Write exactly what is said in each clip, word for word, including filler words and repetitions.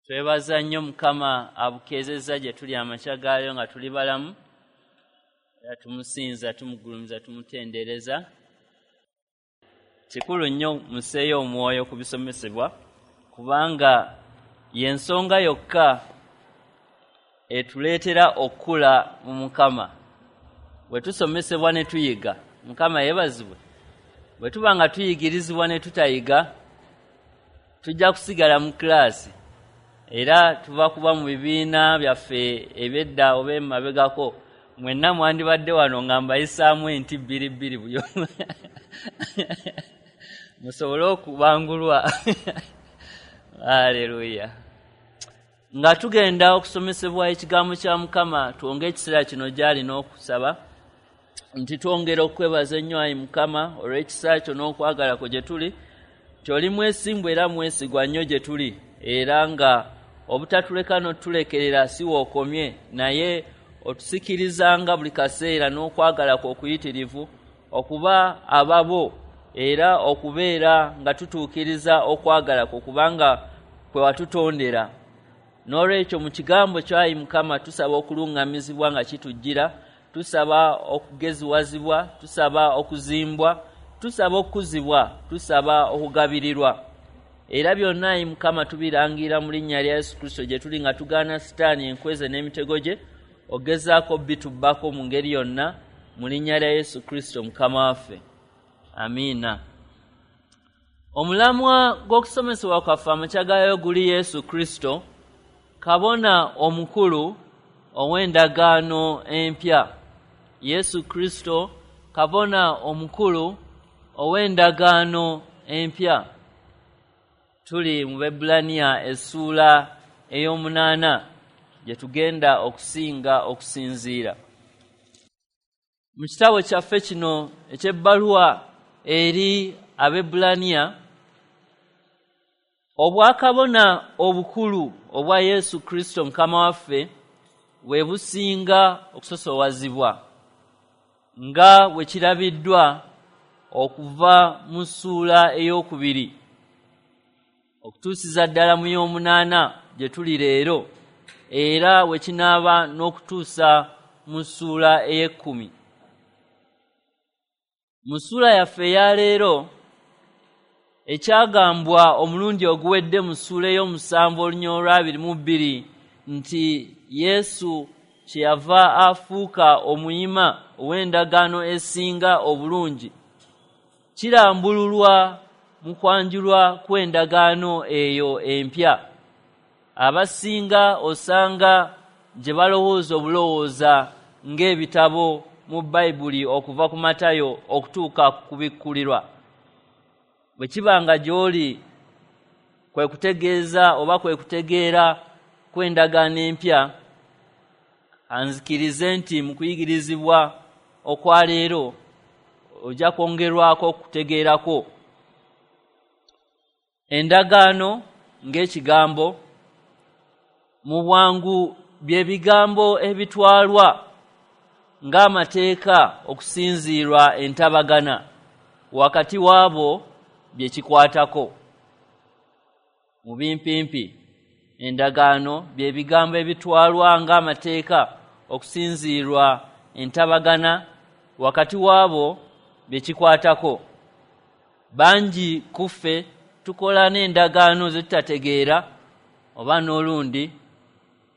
Twebaza nnyo Mukama abukeezezza gye tuli amakya gaayo nga tuli balamu, era tumusinza, tumugulumiza, tumutendereza. Kikulu nnyo museeyo omwoyo ku bisomesebwa, kubanga y'ensonga yokka etuleetera okukula mu Mukama. Bwe tusomesebwa ne tuyiga, Mukama yeebazibwe. Bwe tuba nga tuyigirizibwa ne tutayiga, tujja kusigala mu kilaasi, era tuva kuba mu bibiina byaffe eby'edda oba emabegako. Mwenna mwandibadde wano nga mbayisaamu enti bbiri bbiri buli omu musobole okubangulwa. Haleluya. Nga tugenda okusomesebwa ekigambo kya Mukama, twonge ekiseera kino gy'ali n'okusaba nti twongera okwebaza ennyo ayi Mukama olw'ekisa kyo n'okwagala kwo gye tuli, nti oli mwesimbu era mwesigwa nnyo gye tuli, era nga obutatuleka n'otulekerera si w'okomye, naye otusikirizanga buli kaseera n'okwagala kwo okuyitirivu okuba ababo, era okubeera nga tutuukiriza okwagala kwo, kubanga kwe watutondera. N'olwekyo mu kigambo kyayi Mukama tusaba okuluŋŋamizibwa nga kitujjira, tusaba okugeziwazibwa, tusaba okuzimbwa, tusaba okukuzibwa, tusaba okugabirirwa. Era byonna ayi Mukama tubirangira mu linnya lya Yesu Kristo gye tuli, nga tugaana Sitaani enkweze n'emitego gye ogezaako bitubbako mu ngeri yonna, mu linnya lya Yesu Kristo Mukama waffe. Amiina. Omulamwa gw'okusomesebwa kwaffe amakya gaayo guli Yesu Kristo, kabona omukulu ow'endagaano empya. Yesu Kristo, kabona omukulu ow'endagaano empya. Tuli mu Baebbulaniya essuula ey'omunaana gye tugenda okusinga okusinziira. Mu kitabo kyaffe kino eky'ebbaluwa eri Abaebbulaniya, obwakabona obukulu obwa Yesu Kristo Mukama waffe bwe businga okusosowazibwa, nga bwe kirabiddwa okuva mu ssuula ey'okubiri okutuusiza ddala mu y'omunaana gye tuli leero, era bwe kinaaba n'okutuusa mu ssuula ey'ekkumi. Mu ssuula yaffe eya leero, ekyagambwa omulundi oguwedde mu ssuula ey'omusanvu olunya olw'abiri mu bbiri nti Yesu kyeyava afuuka omuyima ow'endagaano esinga obulungi, kirambululwa mu kwanjulwa kw'endagaano eyo empya. Abasinga osanga gye balowooza obulowooza ng'ebitabo mu Bayibuli okuva ku Matayo okutuuka ku Kubikkulirwa. Bwe kiba nga gy'oli kwe kutegeeza oba kwe kutegeera kw'endagaano empya, anzikirize nti mu kuyigirizibwa okwa leero ojja kwongerwako okutegeerako. Endagaano ng'ekigambo mu bwangu bye bigambo ebitwalwa ng'amateeka okusinziirwa entabagana wakati waabo bye kikwatako. Mu bimpimpi, endagaano bye bigambo ebitwalwa ng'amateeka okusinziirwa entabagana wakati waabo bye kikwatako. Bangi kuffe tukola n'endagaano ze tutategeera oba n'olundi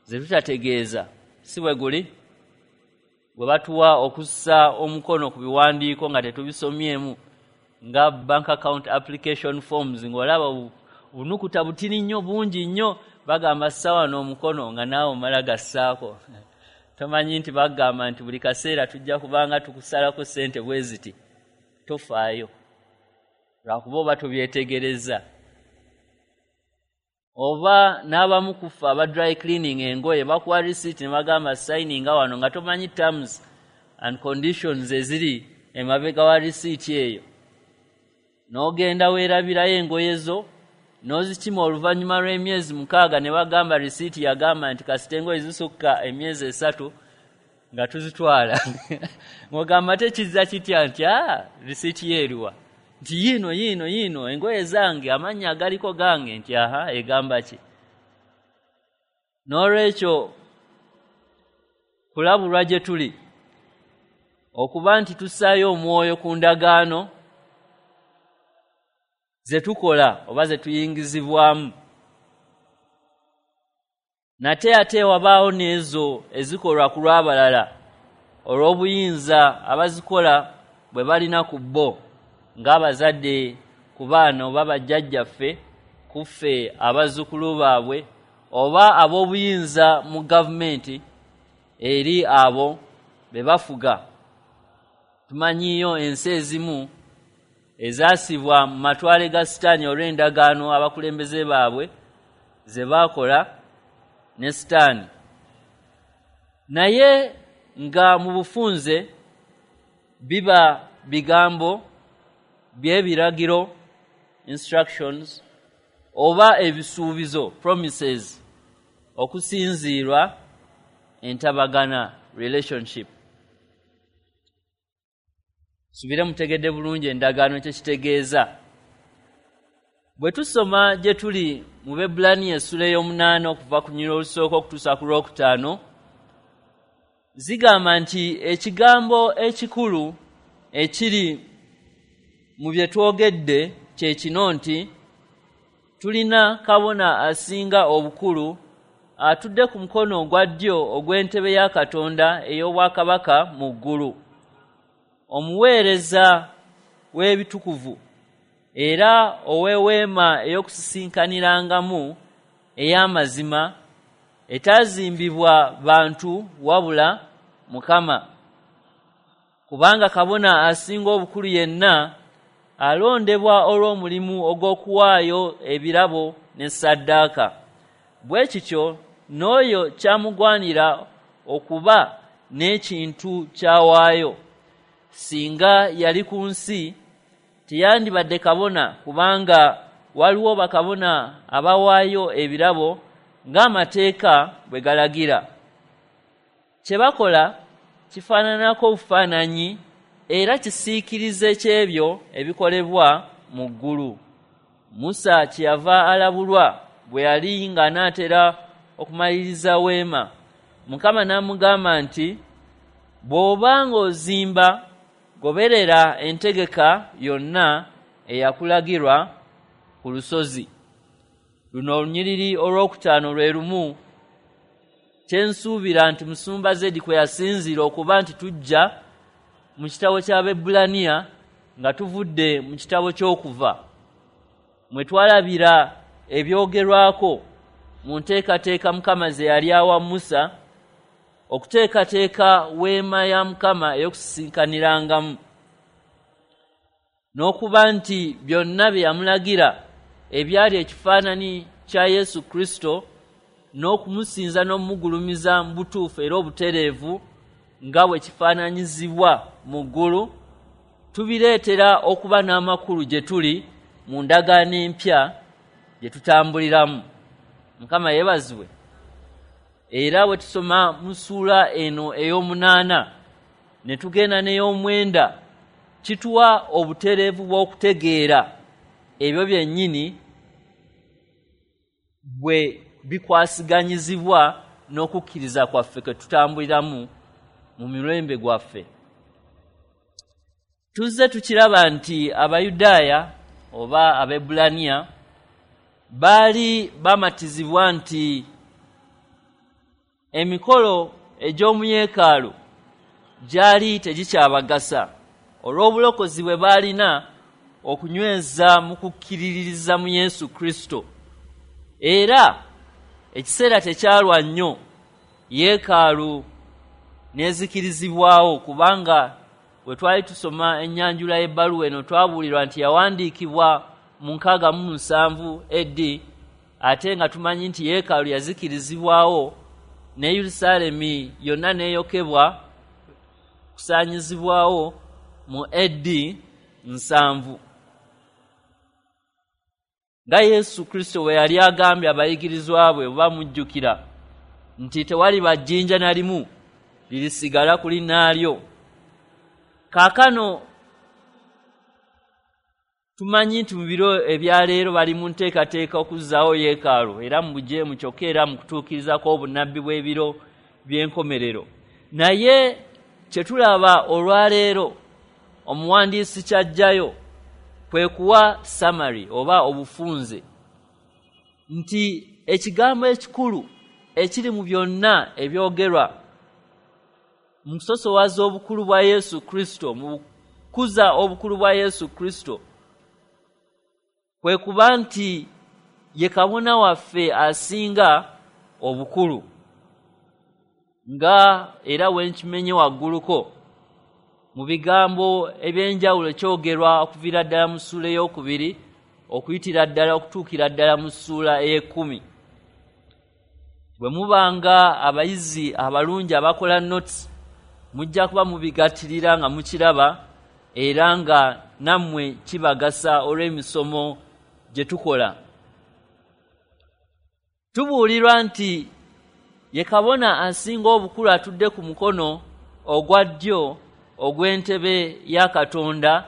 ze tutategeeza, si bwe guli? Bwe batuwa okussa omukono ku biwandiiko nga tetubisomyemu, nga bank account application forms, ng'olaba obunukuta butini nnyo bungi nnyo, bagamba ssa wano omukono nga naawe omala gassaako. Tomanyi nti bagamba nti buli kaseera tujja kubanga tukusalako ssente bwe ziti, tofaayo lwakuba oba tobyetegereza. Oba n'abamu kufa aba dry cleaning engoye bakuwa receipt ne bagamba signinga wano nga tomanyi terms and conditions eziri emabega wa receipt eyo, n'ogenda weerabirayo engoye zo n'ozikima oluvannyuma lw'emyezi mukaaga ne bagamba receipt yagamba nti kasita engoye zisukka emyezi esatu nga tuzitwala. Ng'ogamba tekizza kitya nti aa receipt yeeruwa, nti yiino yiino yiino engoye zange amannya agaliko gange, nti aha egamba ki? N'olwekyo kulabulwa gye tuli okuba nti tussaayo omwoyo ku ndagaano ze tukola oba ze tuyingizibwamu. Nate ate wabaawo n'ezo ezikolwa ku lw'abalala olw'obuyinza abazikola bwe balina ku bo, ng'abazadde ku baana oba bajjajjaffe ku ffe abazzukulu baabwe, oba ab'obuyinza mu gavumenti eri abo be bafuga. Tumanyiyo ensi ezimu ezaasibwa mu matwale ga Sitaani olw'endagaano abakulembeze baabwe ze baakola ne Sitaani. Naye nga mu bufunze biba bigambo by'ebiragiro, instructions, oba ebisuubizo, promises, okusinziirwa entabagana, relationship. Subire mutegedde bulungi endagaano kye kitegeeza. Bwe tusoma gye tuli mu Baebbulaniya essula ey'omunaana okuva ku lunyiriri olusooka okutuusa ku lwokutaano, zigamba nti ekigambo ekikulu ekiri mu bye twogedde kye kino nti tulina kabona asinga obukulu atudde ku mukono ogwa ddyo ogw'entebe ya Katonda ey'obwakabaka mu ggulu, omuweereza w'ebitukuvu era ow'eweema ey'okusisinkanirangamu ey'amazima etaazimbibwa bantu wabula Mukama. Kubanga kabona asinga obukulu yenna alondebwa olw'omulimu ogw'okuwaayo ebirabo ne ssaddaaka. Bwe kityo n'oyo kyamugwanira okuba n'ekintu ky'awaayo. Singa yali ku nsi teyandibadde kabona, kubanga waliwo bakabona abawaayo ebirabo ng'amateeka bwe galagira. Kye bakola kifaananako obufaananyi era kisiikirize ky'ebyo ebikolebwa mu ggulu. Musa kyeyava alabulwa bwe yali ng'anaatera okumaliriza weema. Mukama n'amugamba nti, bw'oba ng'ozimba, goberera entegeka yonna eyakulagirwa ku lusozi. Luno olunyiriri olwokutaano lwe lumu kye nsuubira nti Musumba Zedi kwe yasinziira okuba nti tujja mu kitabo ky'Abaebbulaniya nga tuvudde mu kitabo ky'Okuva, mwe twalabira ebyogerwako mu nteekateeka Mukama ze yali awa Musa okuteekateeka weema ya Mukama ey'okusisinkanirangamu, n'okuba nti byonna bye yamulagira ebyali ekifaananyi kya Yesu Kristo n'okumusinza n'omugulumiza mu butuufu era obutereevu nga bwe kifaananyizibwa mu ggulu, tubireetera okuba n'amakulu gye tuli mu ndagaano empya gye tutambuliramu. Mukama yeebazibwe. Era bwe tusoma mu ssuula eno ey'omunaana ne tugenda n'ey'omwenda, kituwa obutereevu bw'okutegeera ebyo byennyini bwe bikwasiganyizibwa n'okukkiriza kwaffe kwe tutambuliramu mu mirembe gwaffe. Tuzze tukiraba nti Abayudaaya oba Abaebbulaniya baali bamatizibwa nti emikolo egy'omu yeekaalu gyali tegikyabagasa olw'obulokozi bwe baalina okunyweza mu kukkiririza mu Yesu Kristo. Era ekiseera tekyalwa nnyo yeekaalu n'ezikirizibwawo, kubanga bwe twali tusoma ennyanjula y'ebbaluwa eno twabuulirwa nti yawandiikibwa mu nkaaga mu musanvu A D, ate nga tumanyi nti yeekaalu yazikirizibwawo ne Yerusaalemi yonna n'eyokebwa kusaanyizibwawo mu A D nsanvu. Nga Yesu Kristo bwe yali agambye abayigirizwa bwe oba mujjukira nti tewaliba jjinja na limu lirisigala ku linnaalyo. Kaakano Tumanyi nti mu biro ebyaleero bali mu nteekateeka okuzzaawo yeekaalu, era mu bujeemu kyokka era mu kutuukirizako obunnabbi bw'ebiro by'enkomerero. Naye kye tulaba olwaleero omuwandiisi ky'aggyayo kwe kuwa summary oba obufunze nti ekigambo ekikulu ekiri mu byonna ebyogerwa mu kusosowaza obukulu bwa Yesu Kristo, mu kukuza obukulu bwa Yesu Kristo, kwe kuba nti ye kabona waffe asinga obukulu. Nga era wenkimenye wagguluko mu bigambo ebyenjawulo kyogerwa okuviira ddala mu ssuula ey'okubiri okuyitira ddala okutuukira ddala mu ssuula ey'ekkumi. Bwe mubanga abayizi abalungi abakola notes, mujja kuba mubigattirira nga mukiraba, era nga nammwe kibagasa olw'emisomo gye tukola. Tubuulirwa nti ye kabona asinga obukulu atudde ku mukono ogwa ddyo ogw'entebe ya Katonda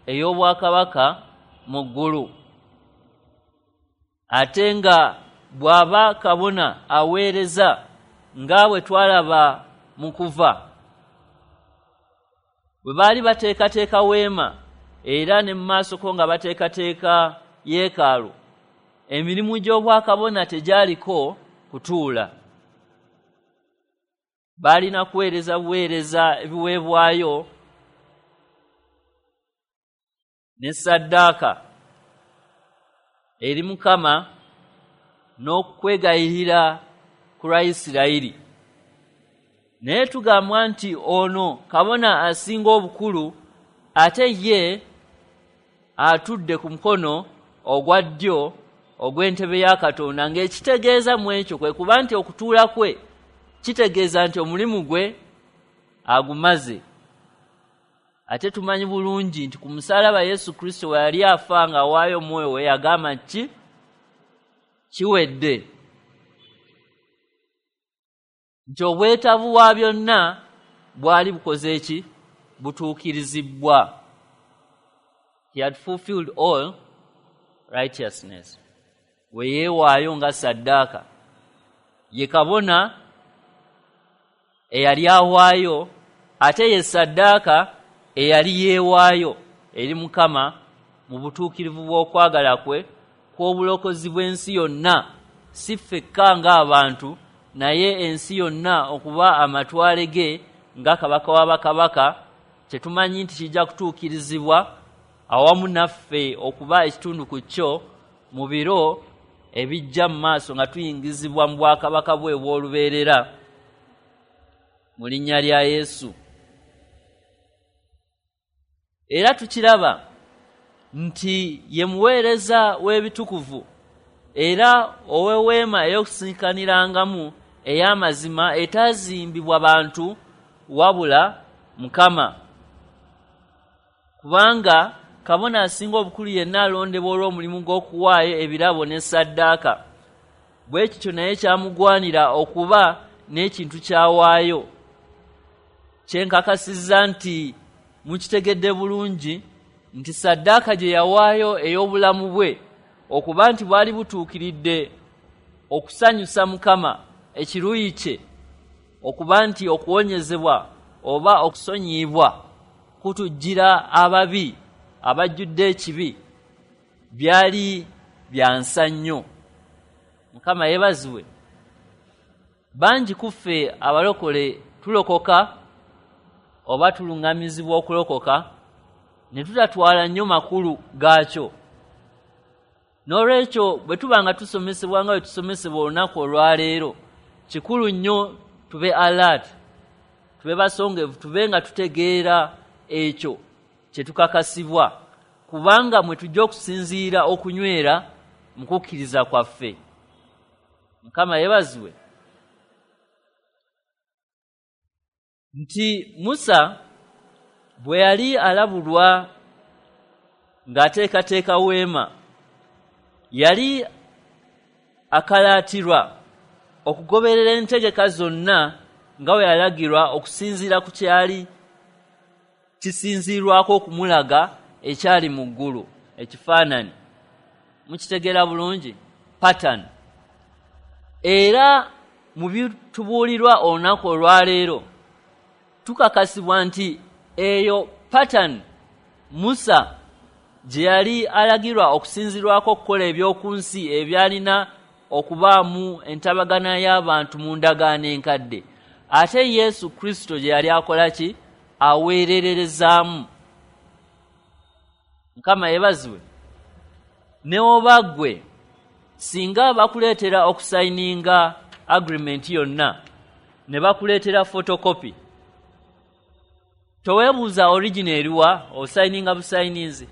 ey'obwakabaka mu ggulu, ate nga bw'aba kabona aweereza nga bwe twalaba mu kuva. Bwe baali bateekateeka weema era ne mu maasoko nga bateekateeka yeekaalu, emirimu gy'obwakabona tegyaliko kutuula. Baalina kuweereza buweereza ebiweebwayo ne ssaddaaka eri Mukama n'okwegayirira ku lwa Isirayiri. Naye tugambwa nti ono kabona asinga obukulu ate ye atudde ku mukono ogwa ddyo ogw'entebe ya Katonda, ng'ekitegeeza mu ekyo kwe kuba nti okutuula kwe kitegeeza nti omulimu gwe agumaze. Ate tumanyi bulungi nti ku musaalaba Yesu Kristo we yali afa ng'awaayo omwoyo we yagamba nti kiwedde, nti obwetaavu bwa byonna bwali bukoze ki? Butuukirizibbwa. He had fulfilled all righteousness. We yeewaayo nga ssaddaaka. Ye kabona eyali awaayo, ate ye ssaddaaka eyali yeewaayo eri Mukama mu butuukirivu bw'okwagala kwe kw'obulokozi bw'ensi yonna, si ffekka ng'abantu, naye ensi yonna okuba amatwale ge nga kabaka w'abakabaka, kye tumanyi nti kijja kutuukirizibwa awamu naffe okuba ekitundu ku kyo mu biro ebijja mu maaso nga tuyingizibwa mu bwakabaka bwe obw'olubeerera mu linnya lya Yesu. Era tukiraba nti ye muweereza w'ebitukuvu era ow'eweema ey'okusinkanirangamu ey'amazima etaazimbibwa bantu wabula Mukama. Kubanga kabona asinga obukulu yenna alondebwa olw'omulimu gw'okuwaayo ebirabo ne ssaddaaka, bwe kityo naye kyamugwanira okuba n'ekintu ky'awaayo. Kyenkakasizza nti mukitegedde bulungi nti ssaddaaka gye yawaayo ey'obulamu bwe okuba nti bwali butuukiridde okusanyusa Mukama ekiruyi kye, okuba nti okuwonyezebwa oba okusonyiyibwa kutujjira ababi abajjudde ekibi, byali bya nsa nnyo. Mukama yeebazibwe. Bangi ku ffe abalokole tulokoka oba tuluŋŋamizibwa okulokoka ne tutatwala nnyo makulu gaakyo. N'olwekyo bwe tuba nga tusomesebwa nga bwe tusomesebwa olunaku olwaleero, kikulu nnyo tube alert, tube basongevu, tube nga tutegeera ekyo kye tukakasibwa, kubanga mwe tujja okusinziira okunywera mu kukkiriza kwaffe. Mukama yeebazibwe. Nti Musa bwe yali alabulwa ng'ateekateeka weema, yali akalaatirwa okugoberera entegeka zonna nga bwe yalagirwa okusinziira ku kyali kisinziirwako okumulaga ekyali mu ggulu. Ekifaananyi. Mukitegeera bulungi? Pattern. Era mu bitubuulirwa olunaku olwaleero tukakasibwa nti eyo pattern Musa gye yali alagirwa okusinzirwako okukola eby'oku nsi ebyalina okubaamu entabagana y'abantu mu ndagaano enkadde, ate Yesu Kristo gye yali akola ki? Aweererezaamu. Mukama yeebazibwe. Ne oba ggwe singa bakuleetera okusayininga agreement yonna ne bakuleetera photocopy, toweebuuza original eriwa, osayininga busayininzi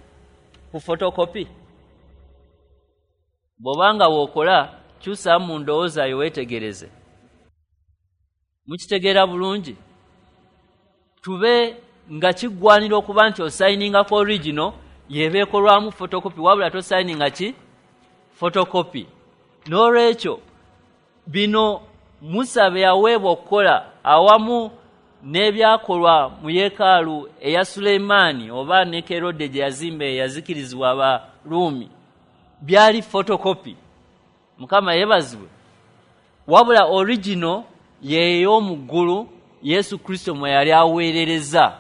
ku photocopy. Bw'obanga w'okola kyusaamu mu ndowooza yo weetegereze. Mukitegeera bulungi? Tube nga kiggwanira okuba nti osayiningako original y'eba ekolwamu photocopy, wabula tosayininga ki? Photocopy. N'olwekyo bino Musa bye yaweebwa okukola awamu n'ebyakolwa mu yeekaalu eya Sulemaani oba ne Kerode gye yazimba eyazikirizibwa Abaruumi byali photocopy. Mukama yeebazibwe. Wabula original y'ey'omu ggulu Yesu Kristo mwe yali aweerereza.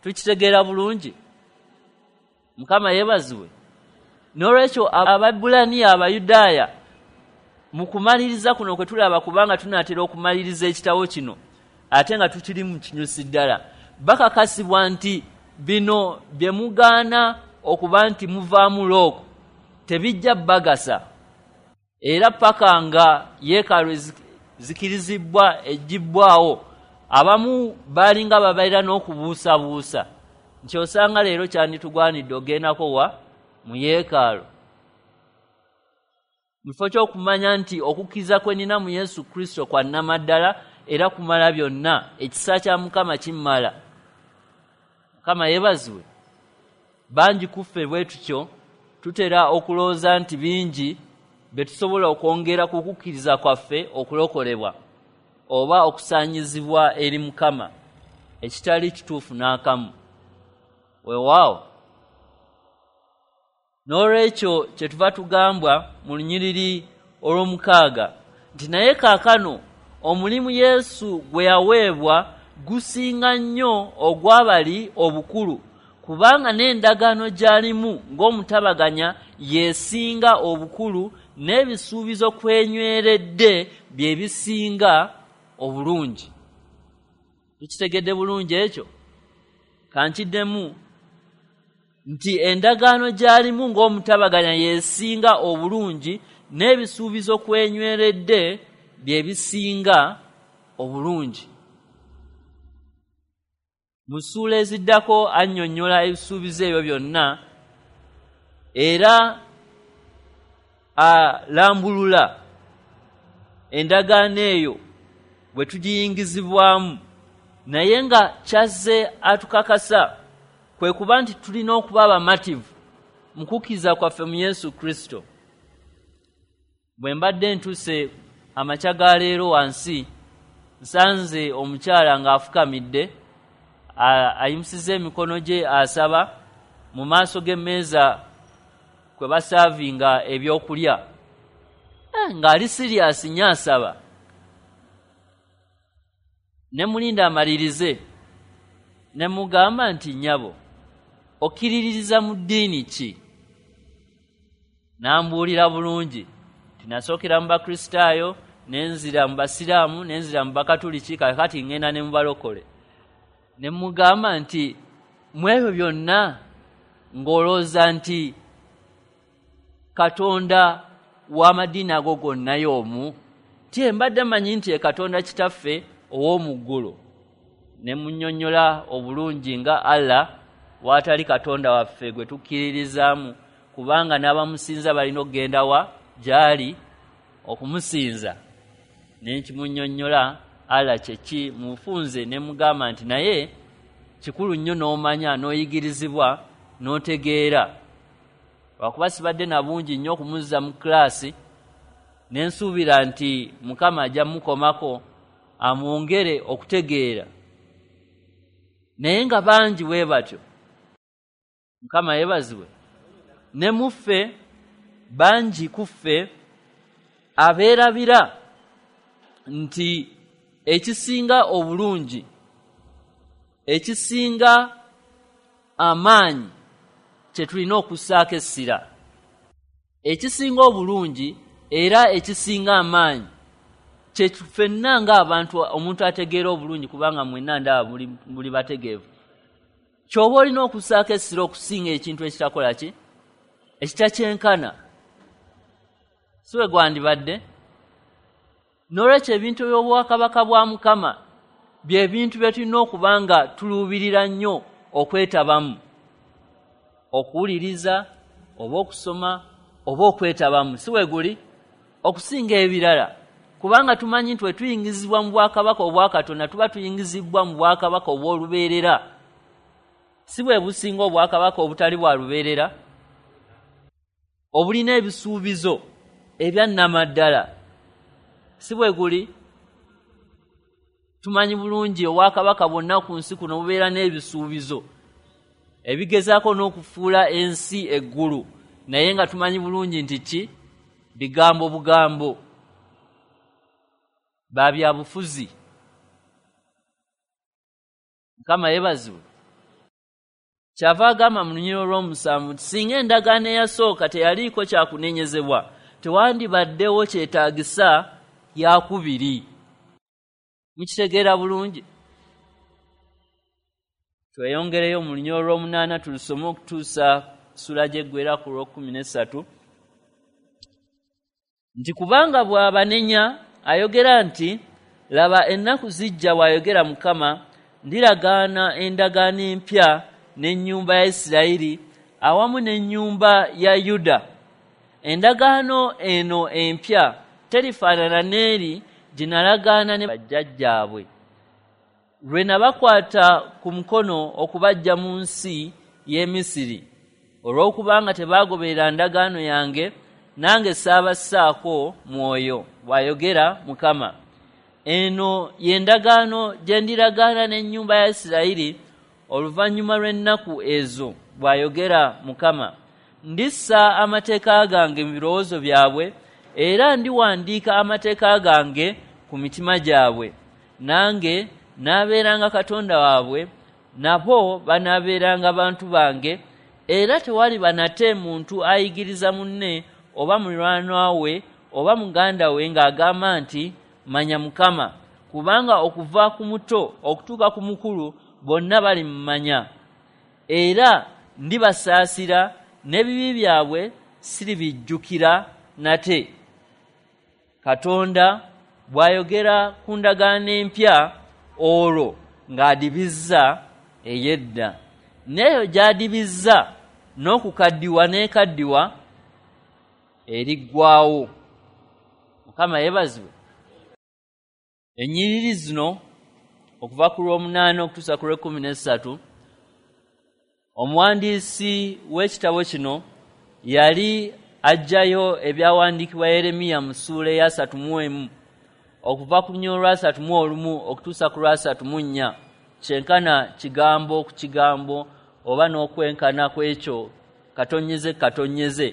Tukitegeera bulungi? Mukama yeebazibwe. N'olwekyo Abaebbulaniya, Abayudaaya, mu kumaliriza kuno kwe tulaba, kubanga tunaatera okumaliriza ekitabo kino ate nga tukiri mu kinyusi ddala, bakakasibwa nti bino bye mugaana okuba nti muvaamu looko tebijja bagasa, era paka nga yeekaalu zikirizibwa eggibbwawo. Abamu baalinga babeera n'okubuusabuusa nti osanga leero kyanditugwanidde ogendako wa mu yeekaalu, mu kifo ky'okumanya nti okukkiriza kwe nnina mu Yesu Kristo kwa nnamaddala era kumala byonna, ekisa kya Mukama kimmala. Mukama yeebazibwe. Bangi ku ffe bwe tutyo tutera okulowooza nti bingi bye tusobola okwongera ku kukkiriza kwaffe okulokolebwa oba okusaanyizibwa eri Mukama, ekitali kituufu n'akamu. Weewaawo. N'olwekyo kyetuva tugambwa mu lunyiriri olw'omukaaga nti naye kaakano omulimu Yesu gwe yaweebwa gusinga nnyo ogw'abali obukulu, kubanga n'endagaano gy'alimu ng'omutabaganya yeesinga obukulu, n'ebisuubizo kwenyweredde bye bisinga obulungi. Tukitegedde bulungi ekyo? Kankiddemu nti endagaano gy'alimu ng'omutabaganya yeesinga obulungi, n'ebisuubizo kwenyweredde bye bisinga obulungi. Mu ssuula eziddako annyonnyola ebisuubizo ebyo byonna era alambulula endagaano eyo bwe tugiyingizibwamu, naye nga kyazze atukakasa kwe kuba nti tulina okuba abamativu mu kukkiriza kwaffe mu Yesu Kristo. Bwe mbadde ntuuse amakya ga leero wansi, nsanze omukyala ng'afukamidde, ayimusiza emikono gye asaba mu maaso g'emmeeza kwe basaavinga ebyokulya, ng'ali siriasi nnyo asaba. Ne mulinda amalirize, ne mugamba nti nnyabo, okkiririza mu ddiini ki? N'ambuulira bulungi nti nasookera mu Bakristaayo, ne nzira mu Basiraamu, ne nzira mu Bakatuliki, kaakati ŋŋenda ne mu balokole. Ne mugamba nti mu ebyo byonna ng'olowooza nti Katonda w'amadiini ago gonna y'omu? Ti mbadde mmanyi nti ye Katonda Kitaffe ow'omu ggulu. Ne munnyonnyola obulungi nga Allah w'atali Katonda waffe gwe tukkiririzaamu, kubanga n'abamusinza balina okugenda wa gy'ali okumusinza. Ne nkimunnyonnyola Allah kye ki mufunze, ne mugamba nti naye kikulu nnyo n'omanya n'oyigirizibwa n'otegeera. Lwakuba sibadde na bungi nnyo okumuzza mu kilaasi, ne nsuubira nti Mukama ajja mukomako amwongere okutegeera. Naye nga bangi bwe batyo. Mukama yeebazibwe. Ne muffe, bangi kuffe abeerabira nti ekisinga obulungi, ekisinga amaanyi kye tulina okussaako essira, ekisinga obulungi era ekisinga amaanyi kye ffenna ng'abantu, omuntu ategeera obulungi, kubanga mwenna ndaba muli bategeevu, ky'oba olina okussaako essira okusinga ekintu ekitakola ki, ekitakyenkana, si bwe gwandibadde. N'olwekyo ebintu by'obwakabaka bwa Mukama bye bintu bye tulina okuba nga tuluubirira nnyo okwetabamu, okuwuliriza oba okusoma oba okwetabamu, si bwe guli, okusinga ebirala, kubanga tumanyi nti bwe tuyingizibwa mu bwakabaka obwa Katonda tuba tuyingizibwa mu bwakabaka obw'olubeerera. Si bwe businga obwakabaka obutali bwa lubeerera, obulina ebisuubizo ebya nnamaddala, si bwe guli. Tumanyi bulungi obwakabaka bwonna ku nsi kuno bubeera n'ebisuubizo ebigezaako n'okufuula ensi eggulu, naye nga tumanyi bulungi nti ki bigambo bugambo, ba byabufuzi. Mukama yeebazibwe. Kyava agamba mu lunyiriri olw'omusanvu nti singa endagaano eyasooka teyaliiko kyakunenyezebwa, tewandibaddewo kyetaagisa yakubiri. Mukitegeera bulungi? Tweyongereyo mu lunyiriri olw'omunaana tulusome okutuusa ssuula gy'eggwera ku lw'okkumi n'essatu, nti kubanga bw'abanenya ayogera nti, laba ennaku zijja, bw'ayogera Mukama, ndiragaana endagaano empya n'ennyumba ya Isirayiri awamu n'ennyumba ya Yuda. Endagaano eno empya terifaanana n'eri gye nalagaana ne bajjajjaabwe, lwe nabakwata ku mukono okubaggya mu nsi y'e Misiri, olw'okubanga tebaagoberera ndagaano yange, nange saabassaako mwoyo, bw'ayogera Mukama. Eno y'endagaano gye ndiragaana n'ennyumba ya Isirayiri oluvannyuma lw'ennaku ezo, bw'ayogera Mukama. Ndissa amateeka gange mu birowoozo byabwe, era ndiwandiika amateeka gange ku mitima gyabwe. Nange naabeeranga Katonda waabwe, nabo banaabeeranga bantu bange, era tewaliba nate muntu ayigiriza munne oba muliraanwa we oba muganda we ng'agamba nti, manya Mukama, kubanga okuva ku muto okutuuka ku mukulu bonna balimumanya. Era ndibasaasira n'ebibi byabwe siribijjukira nate. Katonda bw'ayogera ku ndagaano empya olwo ng'adibizza ey'edda, n'eyo gy'adibizza n'okukaddiwa n'ekaddiwa eriggwawo. Mukama yeebazibwe. Ennyiriri zino okuva ku lw'omunaana okutuusa ku lw'ekkumi n'essatu, omuwandiisi w'ekitabo kino yali aggyayo ebyawandiikibwa Yeremiya mu ssuula ey'asatu mu emu okuva ku lunyiriri lw'asatu mu olumu okutuusa ku lw'asatu mu nnya, kyenkana kigambo ku kigambo oba n'okwenkana kw'ekyo katonyeze katonyeze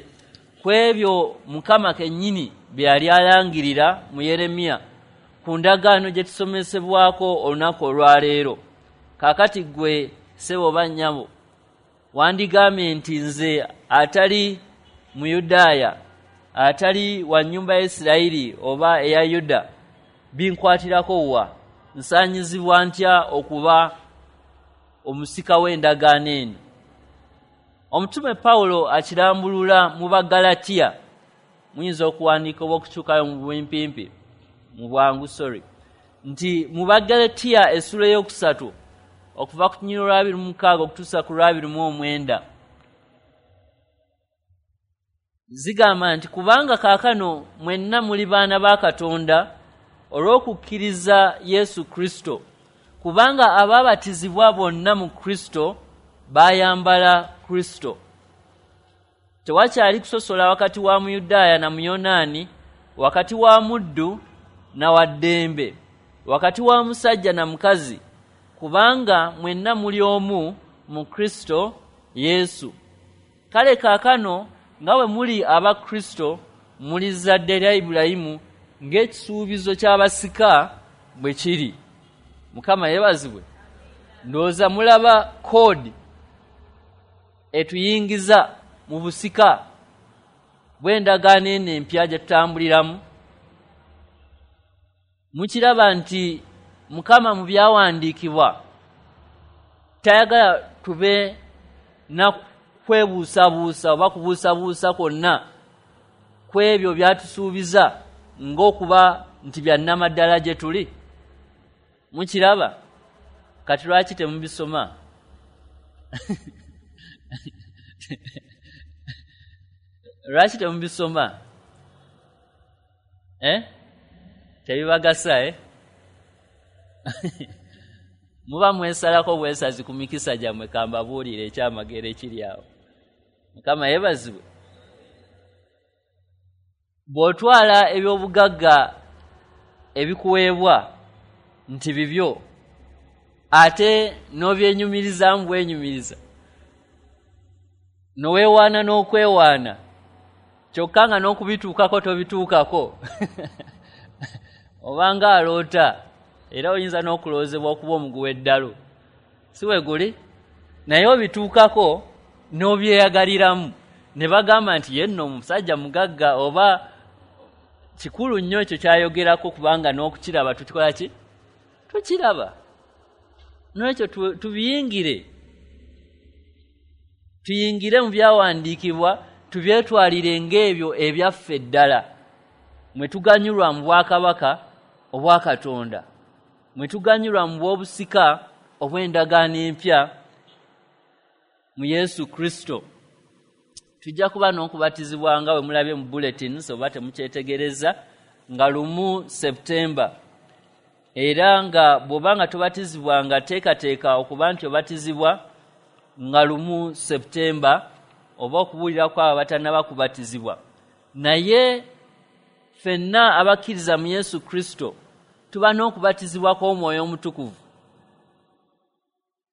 ku ebyo Mukama kennyini bye yali alangirira mu Yeremiya ku ndagaano gye tusomesebwako olunaku olwaleero. Kaakati ggwe ssebo oba nnyabo wandigambye nti nze atali Muyudaaya, atali wa nnyumba ya Isirayiri oba eya Yuda, binkwatirako wa? Nsaanyizibwa ntya okuba omusika w'endagaano eno? Omutume Pawulo akirambulula mu Bagalatiya. Muyinza okuwandiika oba okukyukayo mu bumpimpi, mu bwangu, sorry, nti mu Bagalatiya essuula ey'okusatu okuva ku lunyiriri lw'abiri mu mukaaga okutuusa ku lw'abiri mu omwenda, zigamba nti kubanga kaakano mwenna muli baana ba Katonda olw'okukkiriza Yesu Kristo, kubanga abaabatizibwa bonna mu Kristo baayambala Kristo. Tewakyali kusosola wakati wa Muyudaaya na Muyonaani, wakati wa muddu na wa ddembe, wakati wa musajja na mukazi, kubanga mwenna muli omu mu Kristo Yesu. Kale kaakano nga bwe muli aba Kristo, muli zzadde lya Ibulayimu ng'ekisuubizo ky'abasika bwe kiri. Mukama yeebazibwe. Ndowooza mulaba koodi etuyingiza mu busika bw'endagaano eno empya gye tutambuliramu. Mukiraba nti Mukama mu byawandiikibwa tayagala tube na kwebuusabuusa oba kubuusabuusa kwonna ku ebyo byatusuubiza ng'okuba nti bya nnamaddala gye tuli. Mukiraba? Kati lwaki temubisoma? Lwaki temubisoma? Eh? Tebibagasa, eh? Muba mwesalako bwesazi ku mikisa gyammwe, kambabuulire ekyamagero ekiri awo. Mukama yeebazibwe. Bw'otwala ebyobugagga ebikuweebwa nti bibyo, ate n'obyenyumirizaamu bwenyumiriza, noweewaana n'okwewaana, kyokka nga n'okubituukako tobituukako, obanga aloota, era oyinza n'okulowoozebwa okuba omugu w'eddalu, si we guli? Naye obituukako n'obyeyagaliramu, ne bagamba nti ye nno omusajja mugagga, oba kikulu nnyo ekyo ky'ayogerako, kubanga n'okukiraba tukikola ki? Tukiraba. N'ekyo tubiyingire, tuyingire mu byawandiikibwa, tubyetwalire ng'ebyo ebyaffe ddala, mwe tuganyulwa mu bwakabaka obwa Katonda, mwe tuganyulwa mu bw'obusika obw'endagaano empya mu Yesu Kristo. Tujja kuba n'okubatizibwa nga bwe mulabye mu bulletins oba temukyetegereza, nga lumu September. Era nga bw'oba nga tobatizibwa, nga teekateeka okuba nti obatizibwa nga lumu September, oba okubuulira kw'abo abatannaba kubatizibwa. Naye ffenna abakkiriza mu Yesu Kristo tuba n'okubatizibwa kw'Omwoyo Omutukuvu,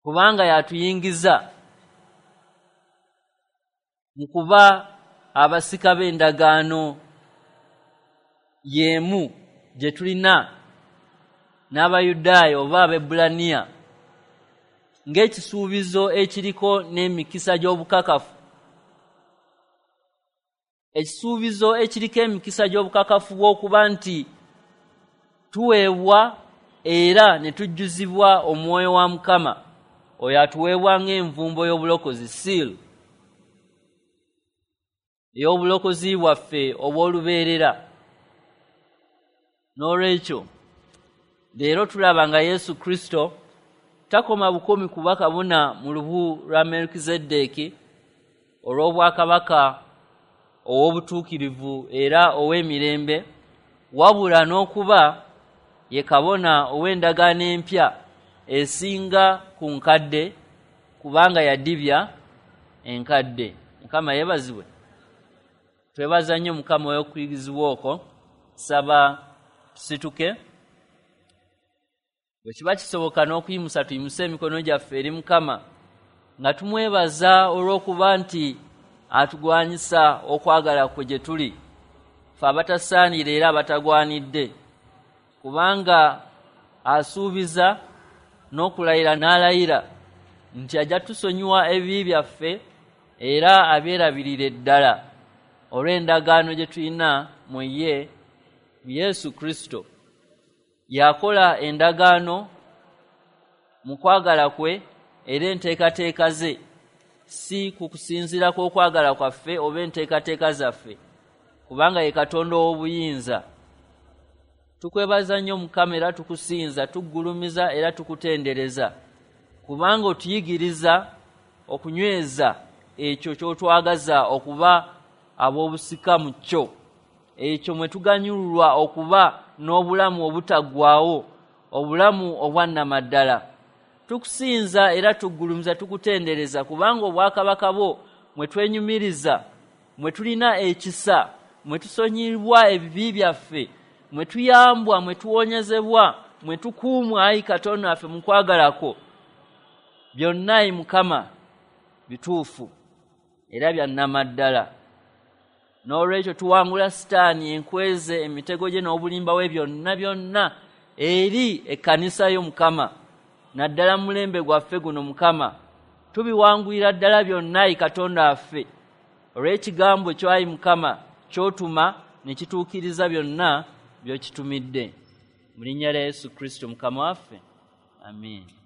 kubanga yatuyingiza mu kuba abasika b'endagaano y'emu gye tulina n'Abayudaaya oba Abaebbulaniya, ng'ekisuubizo ekiriko n'emikisa gy'obukakafu. Ekisuubizo ekiriko emikisa gy'obukakafu bw'okuba nti tuweebwa era ne tujjuzibwa Omwoyo wa Mukama, oyo atuweebwa ng'envumbo y'obulokozi, seal ey'obulokozi bwaffe obw'olubeerera. N'olwekyo leero tulaba nga Yesu Kristo takoma bukomi kuba kabona mu lubu lwa Melkizedeki olw'obwakabaka ow'obutuukirivu era ow'emirembe, wabula n'okuba ye kabona ow'endagaano empya esinga ku nkadde, kubanga yadibya enkadde. Mukama yeebazibwe. Twebaza nnyo Mukama olw'okuyigirizibwa okwo. Saba tusituke. Bwe kiba kisoboka n'okuyimusa, tuyimuse emikono gyaffe eri Mukama nga tumwebaza olw'okuba nti atugwanyisa okwagala kwe gye tuli, ffe abatasaanira era abatagwanidde, kubanga asuubiza n'okulayira n'alayira nti ajja tusonyiwa ebibi byaffe era abyerabirire ddala olw'endagaano gye tulina mu ye, mu Yesu Kristo. Yakola endagaano mu kwagala kwe era enteekateeka ze, si ku kusinziira kw'okwagala kwaffe oba enteekateeka zaffe, kubanga ye Katonda ow'obuyinza. Tukwebaza nnyo Mukama era tukusinza, tuggulumiza era tukutendereza, kubanga otuyigiriza okunyweza ekyo ky'otwagaza okuba ab'obusika mu kyo, ekyo mwe tuganyulwa okuba n'obulamu obutaggwaawo, obulamu obwannamaddala. Tukusinza era tuggulumiza, tukutendereza, kubanga obwakabaka bwo mwe twenyumiriza, mwe tulina ekisa, mwe tusonyiyibwa ebibi byaffe, mwe tuyambwa, mwe tuwonyezebwa, mwe tukuumwa, ayi Katonda waffe mu kwagala kwo. Byonna ayi Mukama bituufu era bya nnamaddala. N'olwekyo tuwangula Sitaani, enkweze, emitego gye n'obulimba bwe byonna byonna eri ekkanisa yo Mukama, naddala mu mulembe gwaffe guno Mukama. Tubiwangulira ddala byonna, ayi Katonda waffe, olw'ekigambo kyo, ayi Mukama, ky'otuma ne kituukiriza byonna by'okitumidde. Mu linnya lya Yesu Kristo Mukama waffe, amiina.